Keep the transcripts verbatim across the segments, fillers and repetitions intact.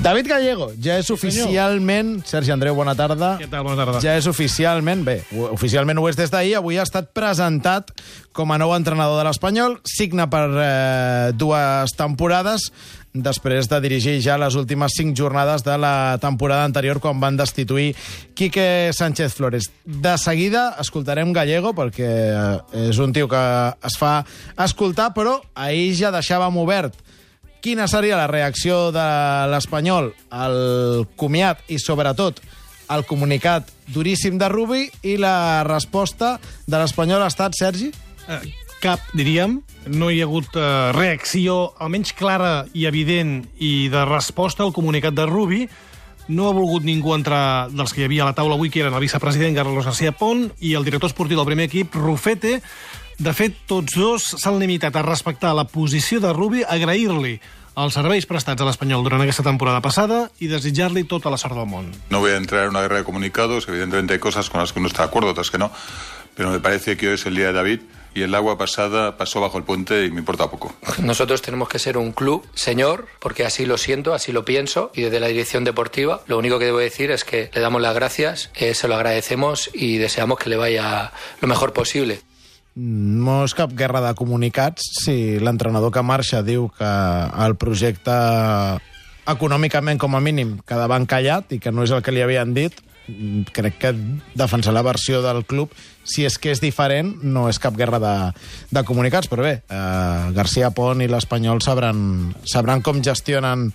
David Gallego, ja és oficialment... Sergi Andreu, bona tarda. Què tal? Bona tarda. Ja és oficialment... Bé, oficialment ho és des d'ahir. Avui ha estat presentat com a nou entrenador de l'Espanyol. Signa per eh, dues temporades, després de dirigir ja les últimes cinc jornades de la temporada anterior, quan van destituir Quique Sánchez Flores. De seguida escoltarem Gallego, perquè és un tio que es fa escoltar, però ahir ja deixàvem obert quina seria la reacció de l'Espanyol al comiat i, sobretot, al comunicat duríssim de Rubi, i la resposta de l'Espanyol ha estat, Sergi? Eh, cap, diríem. No hi ha hagut eh, reacció, almenys clara i evident, i de resposta al comunicat de Rubi. No ha volgut ningú entrar dels que hi havia a la taula avui, que eren el vicepresident Carlos García Pont i el director esportiu del primer equip, Rufete. De fet, tots dos s'han limitat a respectar la posició de Rubi, agrair-li els serveis prestats a l'Espanyol durant aquesta temporada passada i desitjar-li tota la sort del món. No voy a entrar en una guerra de comunicados, evidentemente hay cosas con las que uno está de acuerdo, otras que no, pero me parece que hoy es el día de David y el agua pasada pasó bajo el puente y me importa poco. Nosotros tenemos que ser un club señor, porque así lo siento, así lo pienso, y desde la dirección deportiva lo único que debo decir es que le damos las gracias, eh, se lo agradecemos y deseamos que le vaya lo mejor posible. No és cap guerra de comunicats si l'entrenador que marxa diu que el projecte econòmicament, com a mínim, quedava encallat i que no és el que li havien dit. Crec que defensar la versió del club, si és que és diferent, no és cap guerra de, de comunicats. Però bé, eh, García Pont i l'Espanyol sabran, sabran com gestionen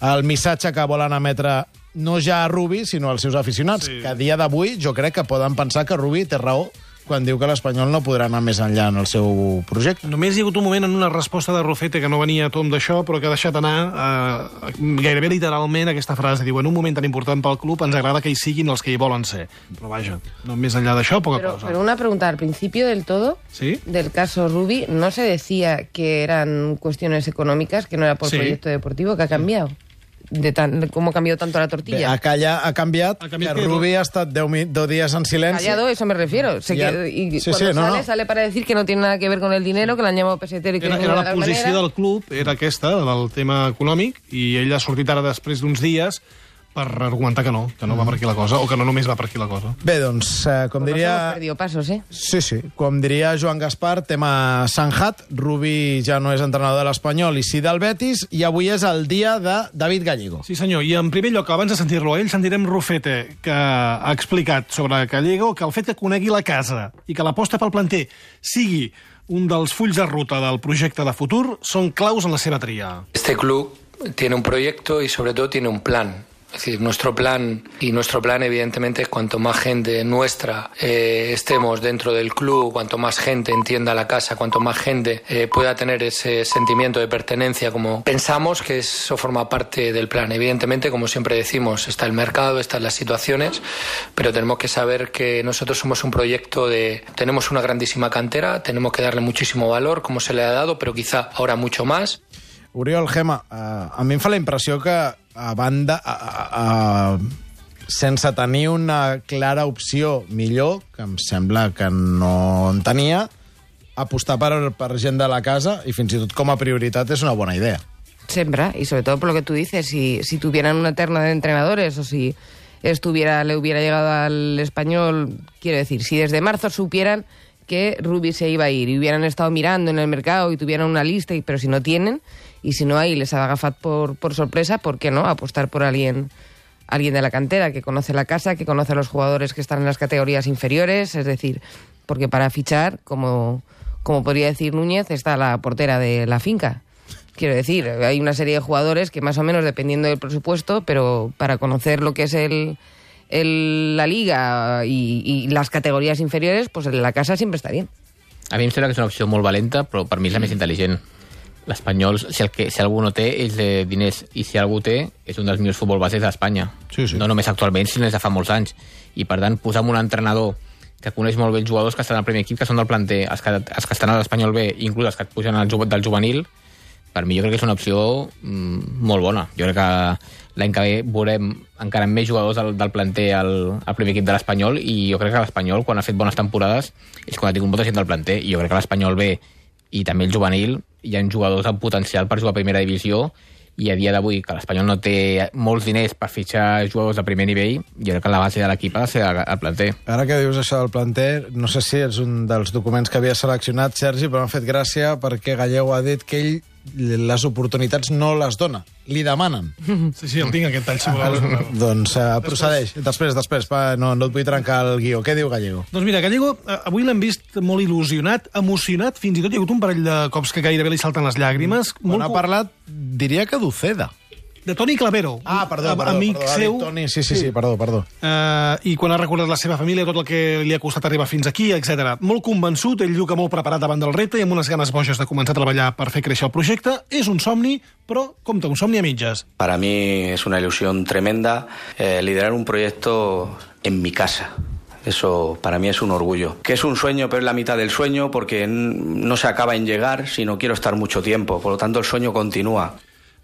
el missatge que volen emetre no ja a Rubi, sinó als seus aficionats, sí. Que a dia d'avui jo crec que poden pensar que Rubi té raó quan diu que l'Espanyol no podrà anar més enllà en el seu projecte. Només hi ha hagut un moment en una resposta de Rufete que no venia a tom d'això, però que ha deixat anar eh, gairebé literalment aquesta frase. Diu, en un moment tan important pel club ens agrada que hi siguin els que hi volen ser. Però vaja, no més enllà d'això, poca pero, cosa. Pero una pregunta, al principio del todo, ¿Sí? del caso Rubi, ¿no se decía que eran cuestiones económicas, que no era por Sí. proyecto deportivo? ¿Qué ha cambiado? De tan, ¿Cómo ha cambiado tanto la tortilla? Bé, ha, calla, ha canviat, Ha canviat que que Rubi ha estat deu días en silenci. Callado, eso me refiero. Se Ya. que, y Sí, cuando sí, no, sale, no. sale para decir que no tiene nada que ver con el dinero, que l'han llamado pesetero y que Era, no era de la tal posició manera. del club, era aquesta, del tema econòmic, i ell ha sortit ara després d'uns dies per argumentar que no, que no va per aquí la cosa, o que no només va per aquí la cosa. Bé, doncs, eh, com Pues diria... hemos perdido pasos, ¿eh? Sí, sí, com diria Joan Gaspar, tema Sanjat. Rubi ja no és entrenador de l'Espanyol i sí del Betis, i avui és el dia de David Gallego. Sí, senyor, i en primer lloc, abans de sentir-lo a ell, sentirem Rufete, que ha explicat sobre Gallego que el fet que conegui la casa i que l'aposta pel planter sigui un dels fulls de ruta del projecte de futur són claus en la seva tria. Este club tiene un proyecto y sobre todo tiene un plan. Es decir, nuestro plan, y nuestro plan evidentemente es cuanto más gente nuestra eh, estemos dentro del club, cuanto más gente entienda la casa, cuanto más gente eh, pueda tener ese sentimiento de pertenencia, como pensamos que eso forma parte del plan. Evidentemente, como siempre decimos, está el mercado, están las situaciones, pero tenemos que saber que nosotros somos un proyecto de... Tenemos una grandísima cantera, tenemos que darle muchísimo valor, como se le ha dado, pero quizá ahora mucho más. Oriol, Gemma, uh, a mi em fa la impressió que a banda, a, a, a, sense tenir una clara opció millor, que em sembla que no en tenia, apostar per, per gent de la casa i fins i tot com a prioritat és una bona idea. Sembra, y sobre todo por lo que tú dices, si, si tuvieran una terna de entrenadores o si estuviera, le hubiera llegado al Espanyol, quiero decir, si desde marzo supieran que Rubi se iba a ir y hubieran estado mirando en el mercado y tuvieran una lista, y, pero si no tienen, y si no hay, les ha agafat por, por sorpresa, ¿por qué no apostar por alguien, alguien de la cantera que conoce la casa, que conoce a los jugadores que están en las categorías inferiores? Es decir, porque para fichar, como, como podría decir Núñez, está la portera de la finca. Quiero decir, hay una serie de jugadores que más o menos, dependiendo del presupuesto, pero para conocer lo que es el, el, la liga y, y las categorías inferiores, pues en la casa siempre está bien. A mi em sembla que és una opció molt valenta, però per mi és la més intel·ligent. L'Espanyol, si, el que, si algú no té, és de diners, i si algú té, és un dels millors futbol bases d'Espanya. Sí, sí. No només actualment, sinó des de fa molts anys. I, per tant, posar un entrenador que coneix molt bé els jugadors que estan al primer equip, que són del planter, els que, els que estan a l'Espanyol B, inclús els que et pugen al, del juvenil, per mi jo crec que és una opció mm, molt bona. Jo crec que l'any que ve veurem encara més jugadors del, del planter al, al primer equip de l'Espanyol, i jo crec que l'Espanyol, quan ha fet bones temporades, és quan ha tingut molta gent del planter, i jo crec que l'Espanyol B i també el juvenil hi ha jugadors amb potencial per jugar a primera divisió, i a dia d'avui, que l'Espanyol no té molts diners per fitxar jugadors de primer nivell, jo crec que la base de l'equip ha de ser el planter. Ara que dius això del planter, no sé si és un dels documents que havia seleccionat Sergi, però m'ha fet gràcia perquè Gallego ha dit que ell les oportunitats no les dona, li demanen. Sí, sí, el tinc aquest tall, si voleu. Doncs uh, procedeix. Després, després, pa, no, no et vull trencar el guió. Què diu Gallego? Doncs mira, Gallego, avui l'hem vist molt il·lusionat, emocionat, fins i tot hi ha hagut un parell de cops que gairebé li salten les llàgrimes. Quan molt ha parlat, diria que d'Uceda. De Toni Clavero, Ah, perdó, perdó, amic perdó, seu. Toni, sí, sí, sí, sí, perdó, perdó. Uh, I quan ha recordat la seva família, tot el que li ha costat arribar fins aquí, etcètera. Molt convençut, ell diu que molt preparat davant del repte i amb unes ganes boges de començar a treballar per fer créixer el projecte. És un somni, però, compte, un somni a mitges. Para mí es una ilusión tremenda eh, liderar un proyecto en mi casa. Eso para mí es un orgullo. Que es un sueño, pero es la mitad del sueño, porque no se acaba en llegar, sino quiero estar mucho tiempo. Por lo tanto, el sueño continúa.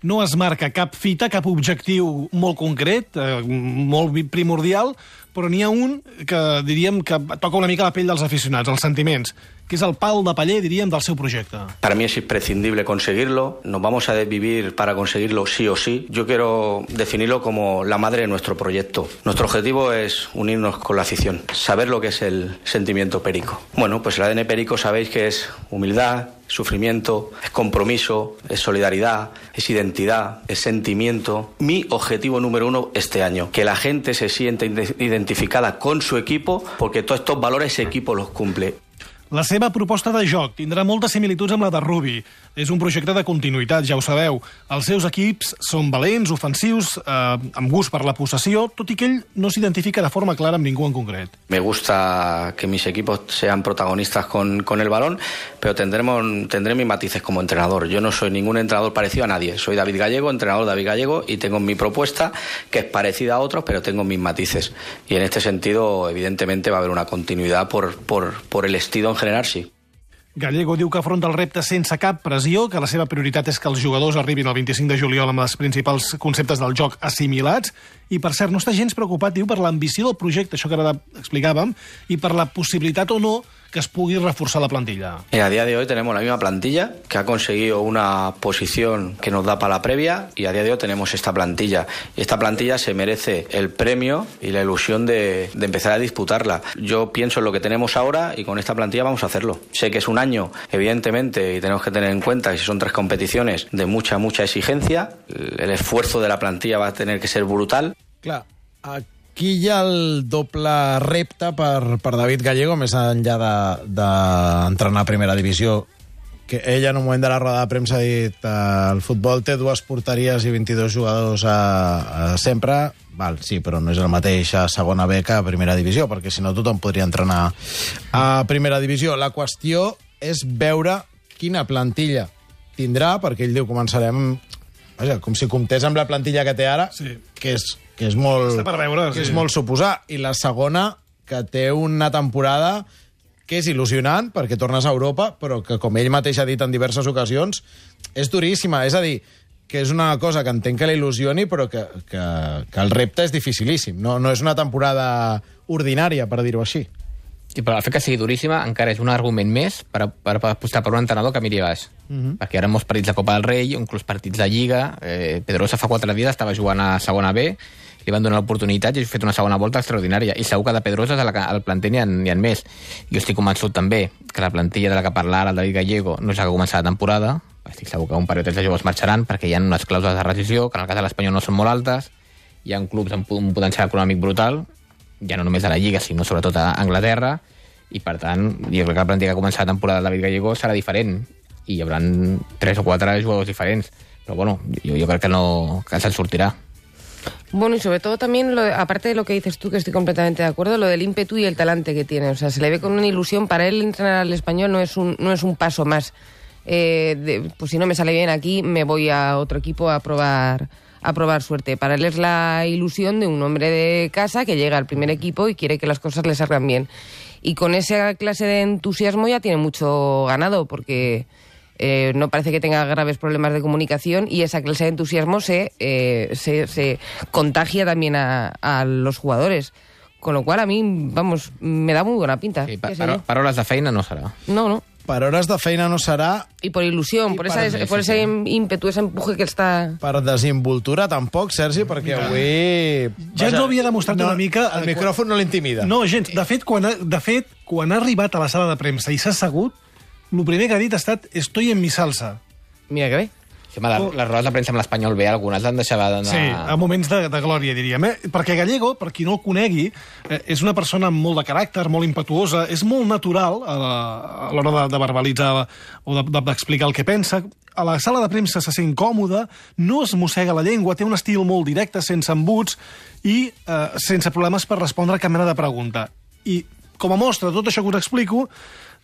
No es marca cap fita, cap objectiu molt concret, eh, molt primordial, però n'hi ha un que diríem que toca una mica la pell dels aficionats, els sentiments, que és el pal de paller, diríem, del seu projecte. Para mí es imprescindible conseguirlo, nos vamos a desvivir para conseguirlo sí o sí. Yo quiero definirlo como la madre de nuestro proyecto. Nuestro objetivo es unirnos con la afición, saber lo que es el sentimiento perico. Bueno, pues el A D N perico sabéis que es humildad, sufrimiento, es compromiso, es solidaridad, es identidad, es sentimiento. Mi objetivo número uno este año, que la gente se sienta identificada con su equipo, porque todos estos valores ese equipo los cumple. La seva proposta de joc tindrà moltes similituds amb la de Rubi. És un projecte de continuïtat, ja ho sabeu. Els seus equips són valents, ofensius, eh, amb gust per la possessió, tot i que ell no s'identifica de forma clara amb ningú en concret. Me gusta que mis equipos sean protagonistas con, con el balón, pero tendremos, tendré mis matices como entrenador. Yo no soy ningún entrenador parecido a nadie. Soy David Gallego, entrenador David Gallego, y tengo mi propuesta, que es parecida a otros, pero tengo mis matices. Y en este sentido, evidentemente, va a haber una continuidad por, por, por el estilo en general, sí. Gallego diu que afronta el repte sense cap pressió, que la seva prioritat és que els jugadors arribin el vint-i-cinc de juliol amb els principals conceptes del joc assimilats, i per cert, no està gens preocupat, diu, per l'ambició del projecte, això que ara explicàvem, i per la possibilitat o no que es pugui reforçar la plantilla. Eh, a día de hoy tenemos la misma plantilla, que ha conseguido una posición que nos da para la previa, y a día de hoy tenemos esta plantilla. Y esta plantilla se merece el premio y la ilusión de, de empezar a disputarla. Yo pienso en lo que tenemos ahora y con esta plantilla vamos a hacerlo. Sé que es un año, evidentemente, y tenemos que tener en cuenta que si son tres competiciones de mucha, mucha exigencia, el esfuerzo de la plantilla va a tener que ser brutal. Clar, aquí hi ha el doble repte per, per David Gallego, més enllà d'entrenar de, de a primera divisió, que ell en un moment de la roda de premsa ha dit eh, el futbol té dues porteries i vint-i-dos jugadors a, a sempre. Val, sí, però no és el mateix a segona B que a primera divisió, perquè si no tothom podria entrenar a primera divisió. La qüestió és veure quina plantilla tindrà, perquè ell diu començarem, vaja, com si comptés amb la plantilla que té ara, Sí. que és que és molt, Està per veure, que sí. és molt suposar. I la segona, que té una temporada que és il·lusionant, perquè tornes a Europa, però que, com ell mateix ha dit en diverses ocasions, és duríssima. És a dir, que és una cosa que entenc que l'il·lusioni, però que, que, que el repte és dificilíssim. No, no és una temporada ordinària, per dir-ho així. I però el fet que sigui duríssima encara és un argument més per, per, per apostar per un entrenador que miri baix. Uh-huh. Perquè ara molts partits de Copa del Rei, inclús partits de Lliga, eh, Pedrosa fa quatre dies estava jugant a segona B, li van donar l'oportunitat i ha fet una segona volta extraordinària. I segur que de Pedrosa al planter n'hi ha, n'hi ha més. Jo estic convençut també que la plantilla de la que parla ara el David Gallego no és la que comença la temporada. Estic segur que un parell de jugadors marxaran perquè hi ha unes clàusules de rescisió que en el cas de l'Espanyol no són molt altes. Hi ha clubs amb un potencial econòmic brutal, ja no només a la Lliga, sinó sobretot a Anglaterra, i per tant, jo crec que la plantilla que comença la temporada del David Gallego serà diferent, i hi haurà tres o quatre jugadors diferents. Però bueno, jo, jo crec que no que se'n sortirà. Bueno, y sobre todo también, lo de, aparte de lo que dices tú, que estoy completamente de acuerdo, lo del ímpetu y el talante que tiene. O sea, se le ve con una ilusión. Para él entrenar al Español no es un, no es un paso más. Eh, de, pues si no me sale bien aquí, me voy a otro equipo a probar, a probar suerte. Para él es la ilusión de un hombre de casa que llega al primer equipo y quiere que las cosas le salgan bien. Y con esa clase de entusiasmo ya tiene mucho ganado, porque eh, no parece que tenga graves problemas de comunicación, y esa clase de entusiasmo se, eh, se, se contagia también a, a los jugadores. Con lo cual a mí, vamos, me da muy buena pinta. Sí, pa paro paraules de feina no serà. No, no. per hores de feina no serà, Y por ilusión, Y por, para- esa, sí, por sí, ese sí. ímpetu, ese empuje que está... per desinvoltura tampoc, Sergi, perquè avui... Ja ens ho havia demostrat no, una mica... El micròfon no l'intimida. No, gens. De fet, quan ha, de fet, quan ha arribat a la sala de premsa i s'ha assegut, el primer que ha dit ha estat «estoy en mi salsa». Mira que bé. Sí, home, les, les rodes de premsa amb l'Espanyol B, algunes l'han deixat d'anar... Sí, a moments de, de glòria, diríem. Eh? Perquè Gallego, per qui no el conegui, eh, és una persona amb molt de caràcter, molt impetuosa, és molt natural a la- a l'hora de, de verbalitzar o de- de- d'explicar el que pensa. A la sala de premsa se sent còmode, no es mossega la llengua, té un estil molt directe, sense embuts i eh, sense problemes per respondre a cap mena de pregunta. I, com a mostra de tot això que us explico,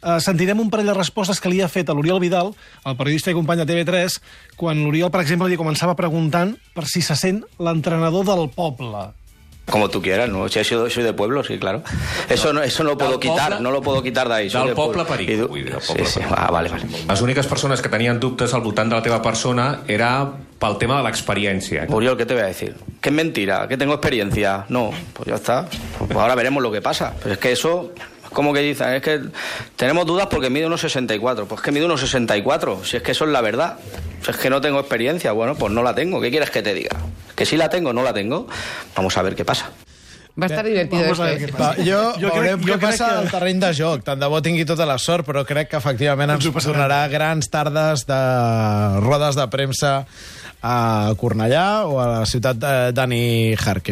Uh, sentirem un parell de respostes que li ha fet a l'Oriol Vidal, el periodista i company de T V tres, quan l'Oriol, per exemple, li començava preguntant per si se sent l'entrenador del poble. Como tú quieras, ¿no? Si soy, soy de pueblo, sí, claro. Eso no, eso no lo puedo Del quitar, poble? no lo puedo quitar de ahí. soy Del de poble pueblo. perico, I du- vull dir, del poble sí, sí. perico. Ah, vale, vale. Les úniques persones que tenien dubtes al voltant de la teva persona era pel tema de l'experiència. Oriol, ¿qué te voy a decir? Que es mentira, que tengo experiencia. No, pues ya está. Pues ahora veremos lo que pasa. Pero es que eso... ¿Cómo que dicen? Es que tenemos dudas porque mide uno sesenta y cuatro. Pues que mide uno sesenta y cuatro. Si es que eso es la verdad. Si es que no tengo experiencia, bueno, pues no la tengo. ¿Qué quieres que te diga? Que sí la tengo, no la tengo. Vamos a ver qué pasa. Va a estar divertido Vamos a ver esto. qué ¿eh? pasa. Va, jo, Jo jo crec- veurem jo què crec passa que- al terreny de joc. Tant de bo tingui tota la sort, però crec que efectivament ens Ens ho passarem. tornarà grans tardes de rodes de premsa a Cornellà o a la ciutat de Dani Jarque.